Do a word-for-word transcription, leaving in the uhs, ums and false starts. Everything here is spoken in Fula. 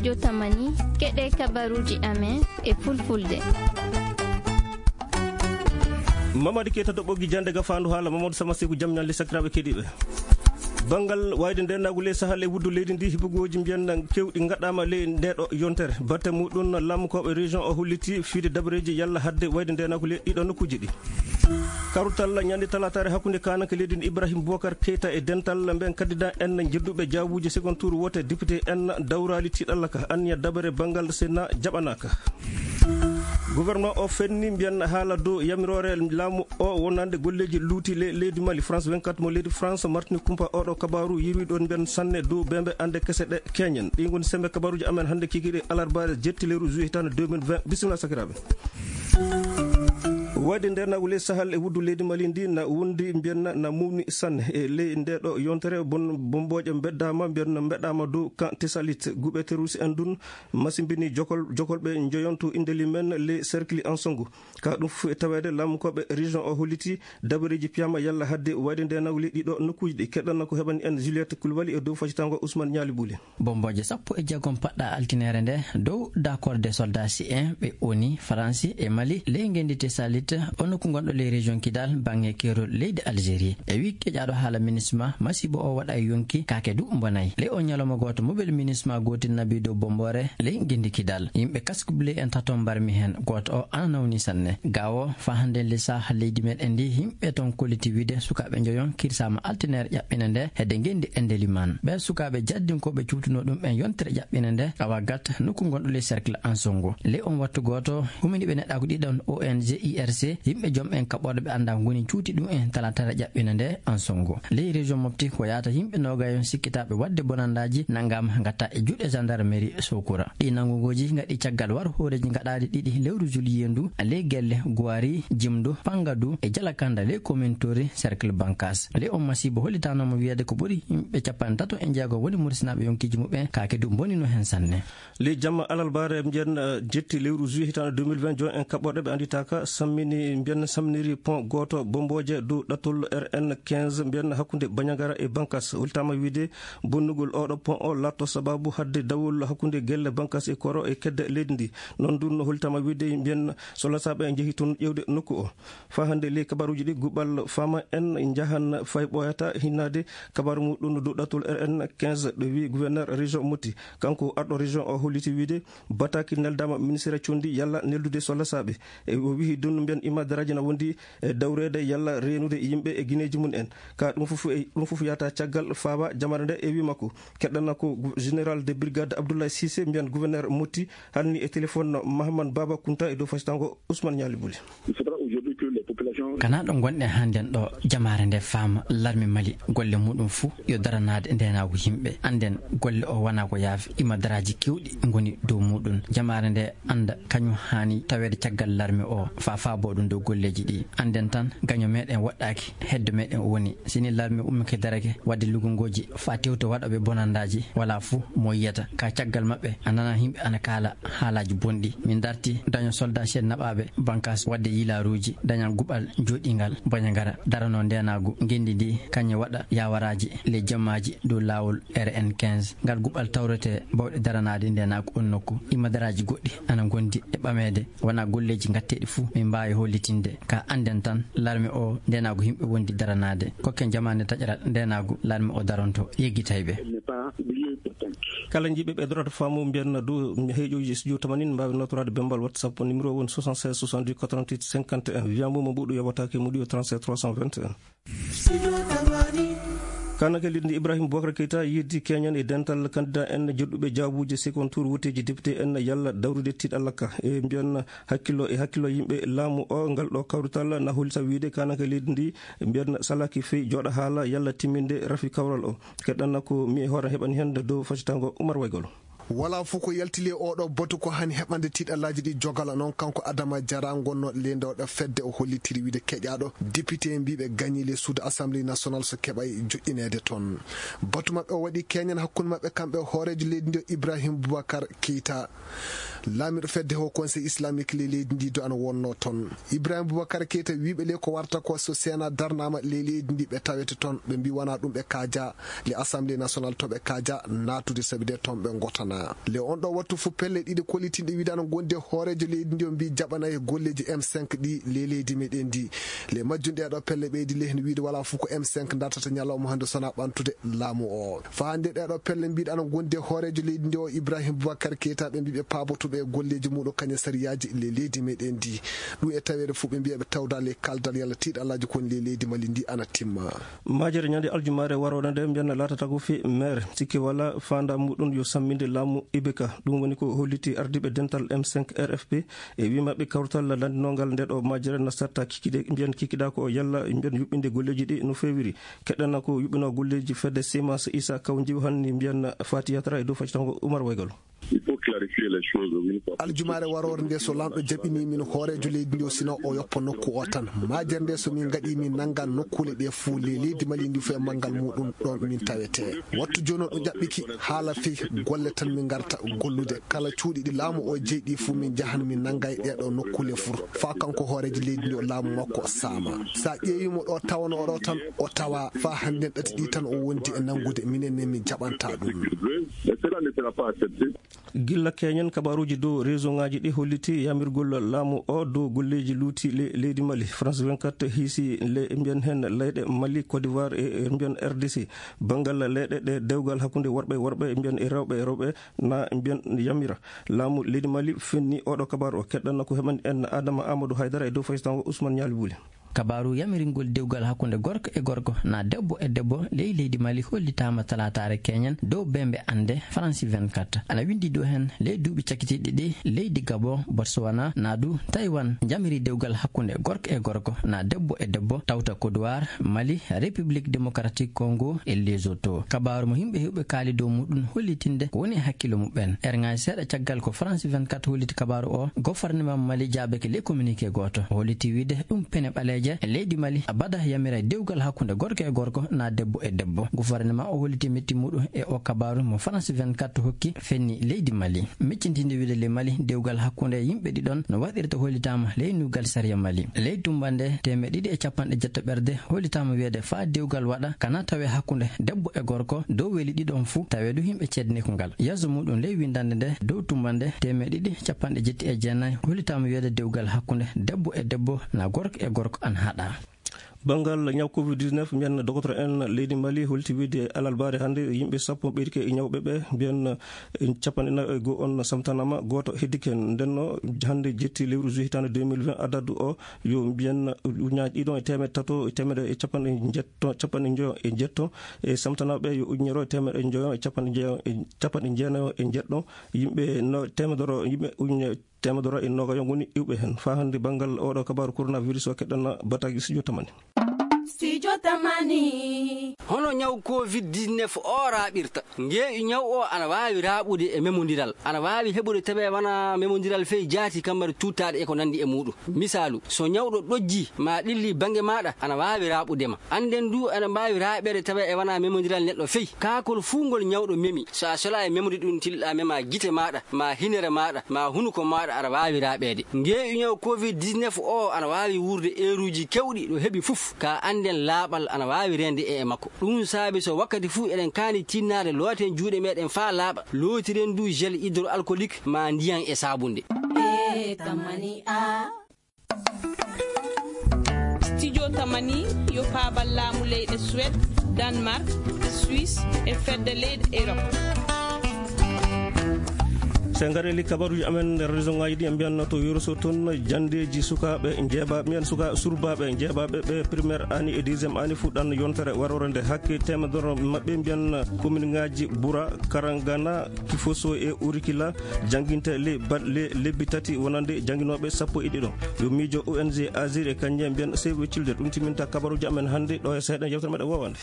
Jotamani, keɗe kabaruuji amen e fulfulde. Mamadi Keita to ɓoggi jannde ga faandu haala Mamadou Sama Seku jam ñalle sakiraaɓe keɗiiɓe. Banngal wayde ndeenaagu ley Sahel e wuddu leydi ndi, hibugooji mbiyan kewɗi ngaɗaama ley ndeeɗo yontere. Batte muɗum laamukooɓe région o holliti fiide dabareeji yalla hadde wayde ndeenaagu ley ɗiɗo nokkuuji ɗi. Karutal ñande talaataare hakkunde kaananke leydi ndi Ibrahim Boubacar Keita e dental ɓen candidat en jedduɓe jaawuuji second tour wote député en dawraali tiiɗalla ka anniya dabare banngal Sénat jaɓanaaka. Gouvernement o fenni mbiyan haala dow yamiroore laamu o wonande golleeji luuti le leydi Mali. France vingt-quatre mo leydi France martini kumpa oɗo kabaaru yirwi ɗon mbiyan sanne dow bembe ande kese ɗe keñen. Ɗi ngoni sembe kabaaruji amen hannde kikiɗe alarbaare jetti lewru juillet hitaande deux mille vingt. Bisimilla sakiraaɓe. Wayde ndeenaagu ley Sahel e wuddu leydi Mali ndi na wondi mbiyan na mumni sanne e ley ndeeɗo yontere bon-, bombooje mbeddaama mbiyan mbeɗaama dow kan Tesalit guɓe terroriste en dun masimbini jokol-, jokolɓe njoyon to indeli men ley cercle Ansongo. Ka ɗum fof e taweede laamukooɓe région o holliti dabareeji piyama yalla hadde wayde ndeenaagu ley ɗiɗo nokkuuji ɗi. Keɗɗana ko heɓani en Juliette Koulibaly e dow facitango Ousmane Ñaali Buli. Bombooje sappo e jeegom paɗɗa altineere nde dow dakorde soldat si en ɓe oni Faransi e Mali ley ngenndi Tesalit, o nokku ngonɗo ley région Kidal, baŋŋe keerol leydi Algérie. E wi keƴaaɗo haala MINUSMA, masiibo o waɗa e yonki kaake du mbonay. Ley o ñalawma gooto, mobile MINUSMA gootel nabi dow bomboore ley ngenndi Kidal. Yimɓe kaskubule en tato mbarmi heen, gooto o ana nawni sanne. Gawo faa hannde ley saha leydi meɗen ndi, yimɓe toon kolliti wiide sukaaɓe njoyon kirsaama altineere ƴaɓɓine nde hedde ngenndi Endeliman. Ɓee sukaaɓe jaddinkooɓe cuutunoo ɗum ɓen yontere ƴaɓɓine nde, awa gat nokku ngonɗo ley cercle Ansongo. Ley on wattu gooto, huminiiɓe neɗɗaaku ɗiɗon O N G I R C, yimɓe jom en kaɓɓorɗe ɓe anndaa ngoni cuuti ɗum en talaataare ƴaɓɓine nde Ansongo. Ley région Mopti ko yaata yimɓe noogayon sikkitaaɓe waɗde bonandaaji nanngaama ngatta e juuɗe gendarmerie Sokura. Ɗi nanngugooji ngaɗi caggal war hooreeji ngaɗaaɗi ɗiɗi lewru juillet ndu, ley gelle Guwari, Jimdo, Pangadu e Jalakanda ley commune Tori, cercle Bankas. Ley on masiibo hollitaanooma wiyeede ko ɓuri yimɓe cappanɗe tato e jeego woni Murisinaaɓe yonkiiji muɓɓen, kaake du mbonino heen sanne. Ley jamma alarbaare mbiyen, eh, jetti lewru juillet hitaande deux mille vingt, jon en kaɓɓorɗe ɓe annditaaka sammini, mbiyen samminiri pont gooto bombooje dow ɗattol R N quinze mbiyen hakkunde Bandiagara e Bankas. Hollitaama wiide bonnugol oɗo pont o laatto sababu hadde dawol hakkunde gelle Bankas e Koro e kedde leydi ndi. Noon dun no hollitaama wiide mbiyen solasaaɓe njehi toon ƴeewde nokku o. Faa hannde ley kabaruuji ɗi guɓal faama en njahan fay ɓooyata hinnaade kabaaru muɗum dow ɗattol R N quinze ɗo wi gouverneur région Mopti. Kanko arɗo région o holliti wiide bataki neldaama ministre condi yalla neldude solasaaɓe. E o wihi dun mbiyen imadaraaji na wondi e dawreede yalla reenude yimɓe e gineeji mum en. Ka ɗum fof e, ɗum fof yahata caggal faaba jamaare nde e wi makko. Keɗɗana ko général de brigade Abdoulaye Cissé mbiyen gouverneur Mopti hanni e téléphone Mahamane Baba Kunta e dow fasitango Ousmane Ñaali Buli. Il faudra aujourd'hui que les populations Kana ɗo ngonɗen hannden ɗo, jamaare nde faama larme Mali golle muɗum fuu yo daranaade ndeenaagu yimɓe. Annden golle o wonaa ko yaafi, imadaraaji keewɗi ngoni dow muɗum. Jamaare nde annda kañum haani taweede caggal larme o, faa faaboo ɗum dow golleeji ɗi. Annden tan gaño meɗen woɗɗaaki, heddo meɗen o woni. Si ni larme ummike darake waɗde lugungooji faa tewto waɗooɓe bonandaaji, walaa fuu mo yiyata. Ka caggal maɓɓe a nana yimɓe ana kaala haalaaji bonɗi. Min darti daño soldat Chad naɓaaɓe Bankas waɗde yilaaruuji, daña guɓal jooɗingal Bandiagara, darano ndeenaagu ngenndi ndi, kañum waɗa yaawaraaji ley jammaaji dow laawol R N quinze. Ngal guɓal tawrete bawɗe daranaade ndeenaagu on nokku. Imadaraaji goɗɗi ana ngondi e ɓameede, wonaa golleeji ngatteeɗi fuu min mbaawi hollitinde. Ka annden tan larme o ndeenaagu yimɓe wondi daranaade. Kokken jamaane taƴaral ndeenaagu larme o daronto yeggitayɓe. Elle n'est pas oubliée pourtant. Kala jiɗɓe ɓe darata faamu mbiyen dow heeƴooji studio tamanin mbaawi nootoraade bemmbal WhatsApp, numéro woni soixante-seize soixante-dix quatre-vingt-huit cinquante et un. Wiya mo mo mbuɗu yoɓataake muɗi o trente-sept trois cent vingt et un. Kaananke leydi ndi Ibrahim Boubacar Keita yeddi keñan e dental candidat en joɗɗuɓe jaabuuji second tour woteeji député en yalla dawrude tiiɗalla ka. E mbiyen hakkillo e hakkillo yimɓe laamu o, ngal ɗo kawrital na hollita wiide kaananke leydi ndi mbiyen salaki fey jooɗa haala yalla timminde rafi kawral o. Keɗɗanna ko mi e hoore heɓani heen dow facitango Oumar Waygolo. Wala fof ko yalti ley oɗo batu ko hani heɓande tiiɗallaaji ɗi jogala. Noon kanko Adama Diarra, gonnooɗo leendooɗo fedde, o hollitiri wiide keƴaaɗo député mbiɓe gañi ley suudu Assemblée nationale so keɓay joƴƴineede toon. Batu maɓɓe o waɗi keñan hakkunde maɓɓe kamɓe hooreejo leydi ndi o Ibrahim Boubacar Keita. Laamiiɗo fedde Haut Conseil Islamique ley leydi ndi du ana wonnoo toon. Ibrahim Boubacar Keita wiiɓe ley ko warta ko so Sénat darnaama ley leydi ndi ɓe tawete toon. Ɓe mbi wonaa ɗum ɓe kaaja ley Assemblée nationale to ɓe kaaja naatude sabi de toon ɓe ngotana. Le on ɗo wattu fu pelle ɗiɗi kollitinɗe wiide ana gondi e hooreejo leydi ndi o mbi jaɓana e golleeji M cinq ɗi le leydi meɗen ndi. Le majjum ɗe ɗo pelle ɓeydi le heno wiide wala fu ko M cinq dartata ñalawma hannde sona ɓantude laamu o. Fa hannde ɗe ɗo pelle mbiɗa ana gondi e hooreejo leydi ndi o Ibrahim Boubacar Keita ɓe mbiɓe paabotuɓe e golleeji muɗum kañe sariyaaji le leydi meɗen ndi. Ɗum e taweede fu ɓe mbiya ɓe tawda le kaldal yalla tiiɗalaaji kon le leydi Mali ndi ana timma. Majere ñande aljumaare waroore nde mbiyanna laatata ko fi maire sikki wala fanda muɗum yo samminde laamu Ibeka. Ɗum woni ko holliti ardiiɓe dental M cinq R F P e wimaɓe kawtal lanndinongal nde ɗo majere nasarta kikide mbiyan kikida ko yalla mbiyan yuɓɓinde golleeji ɗi no fewiri. Keɗɗana ko yuɓɓino golleeji fedde Simas Isa Kaw Njiw hanni mbiyan Fati Yatara e dow faccatango Umar Waygol. Il faut clarifier les choses, oui. Aljumaare waroore nde so lamɗo jaɓini min hooreejo leydi ndi o sina o yoppa nokku o tan. Majere nde so min ngaɗi min nanga nokkule ɗe fuu le leydi Mali ndi fuu e manngal muɗum ɗon min tawete. Wattu jooni o ɗo jaɓɓiki haala fii golle tan min ngarta gollude. Kala cuuɗi ɗi laamu o jeyɗi fuu min njahan min nanga e ɗeɗo nokkule fuu. Fa kanko hooreejo leydi ndi o laamu makko saama. Sa ƴeewi mo ɗo tawano o ɗo tan o tawa fa hannde ɗati ɗi tan o wondi e nangude minen ne min jaɓanta ɗum. Mais cela ne sera pas accepté. Gilla keñen kabaruuji dow réseau ŋaaji ɗi holliti yamirgol laamu o dow golleeji luuti le-, leydi Mali. France vingt-quatre hiisi le mbiyan heen leyɗe Mali, Côte d'Ivoire e, e mbiyan R D C. Banngal leyɗe ɗe dewgal hakkunde worɓe e worɓe mbiyan e rewɓe e rewɓe na mbiyan yamira. Laamu leydi Mali fenni oɗo kabaru o keɗɗanno ko heɓani en Adama Amadou Haydara e dow faysango Ousmane Ñaali Buli. Kabaaru yamiringol dewgal hakkunde gorko e gorko na debbo e debbo ley leydi Mali hollitaama talaataare keñen dow bembe annde France vingt-quatre. Ana windi dow hen ley duuɓi cakkitiiɗi ɗi leydi Gabon, Botswana, na du Taiwan njamiri dewgal hakkunde gorko e gorko na debbo e debbo tawta Côte d'Ivoire, Mali, République Démocratique Congo e Lesotho. Kabaaru mo yimɓe heewɓe kaali dow muɗum hollitinde ko woni e hakkillo muɓɓen. Erŋaaji seeɗa caggal ko France vingt-quatre holliti kabaaru o, gouvernement Mali jaabike ley communiqué gooto. O holliti wiide ɗum pene ɓaleeje e leydi Mali abada yamira dewgal hakkunde gorko e gorko na debbo e debbo. Gouvernement o holliti metti muɗum e o kabaaru mo France vingt-quatre hokki fenni leydi Mali. Miccintinde wiide le Mali dewgal hakkunde yimɓe ɗiɗon no waɗirta hollitaama ley nuugal sariya Mali. Ley tumbande teemeɗɗe ɗiɗi e capanɗe jeetati ɓerde hollitaama wiyeede faa dewgal waɗa kana tawe hakkunde debbo e gorko dow weli ɗiɗon fuu tawe du yimɓe ceedniiku ngal. Yeeso muɗum ley windande nde dow tumbande teemeɗɗe ɗiɗi capanɗe jeetati e jeenayi hollitaama wiyeede dewgal hakkunde debbo e debbo na gorko e gorko an haɗa. Banngal ñaw covid dix-neuf, mbiyan docteur en leydi Mali holti wiide alarbaare hannde yimɓe sappo ɓeydike e ñawɓe ɓe, mbiyan, eh, capanɗe nayi e goo on samtanama, gooto heddike. Ndenno hannde jetti lewru juillet hitaande deux mille vingt, adadu o yo mbiyan ujunnaaji ɗiɗon e teemedde tato e teemedde e capanɗe njetto, capanɗe njoyo e njetto, e samtanaaɓe yo ujunere e teemedde njoyo e capanɗe njeyo e capanɗe jeenayo e njeɗɗo, yimɓe no teemedere, yimɓe ujunere teemedere e noogayo ngoni iwɓe heen. Faa hannde banngal oɗo kabaaru coronavirus o keɗɗan bataaji studio Tamani. Studio Tamani. Hono ñaw covid dix-neuf o raaɓirta? Ngeeƴu ñaw o ana waawi raaɓude e memondiral. Ana waawi heɓude tawi wona memondiral fey jaati kambar tuttaaɗe e ko nanndi e muɗum. Misaalu, so ñawɗo ɗojji ma ɗilli bannge maaɗa, ana waawi raaɓude ma. Annden du, ana mbaawi raaɓeede tawa e wona memondiral neɗɗo fey. Kaakol fuu ngol ñawɗo memi, so a sola e memde ɗum tilɗa mema gite maaɗa, ma hinere maaɗa, ma hunuko maaɗa, aɗa waawi raaɓeede. Ngeeƴu ñaw covid dix-neuf o ana waawi wuurde eeruuji keewɗi ɗo heɓi fof. Ka annden laaɓal ana waawi reende e, e makko. Ɗum saabi so wakkati fuu eɗen kaani tinnaade looten juuɗe meɗen faa laaɓa, lootiren du gel hydroalcoolique ma ndiyan e saabunde. E tamani a. Studio Tamani yo paabal laamu leyɗe Suède, Danemark, Suisse e fedde leyɗe Europe. So en ngarii e kabaruuji amen nder région ŋaaji ɗi, en mbiyanno to Wuro Sow toon, janndeeji sukaaɓe njeeɓaaɓe, mbiyan suka-, surbaaɓe njeeɓaaɓe ɓe primaire ani e deuxième ani fuɗɗan yontere waroore nde. Hakke teemedere maɓɓe mbiyan commune ŋaaji Bura, Karangana, Kifoso e Urikila jannginte le-, ba-, le-, lebbi tati wonande jannginooɓe sappo e ɗiɗo. Yo miijo O N G Azir e Kanje mbiyan Save the Children. Ɗum timminta kabaruuji amen hannde ɗo e seeɗa yewtere meɗen woowande.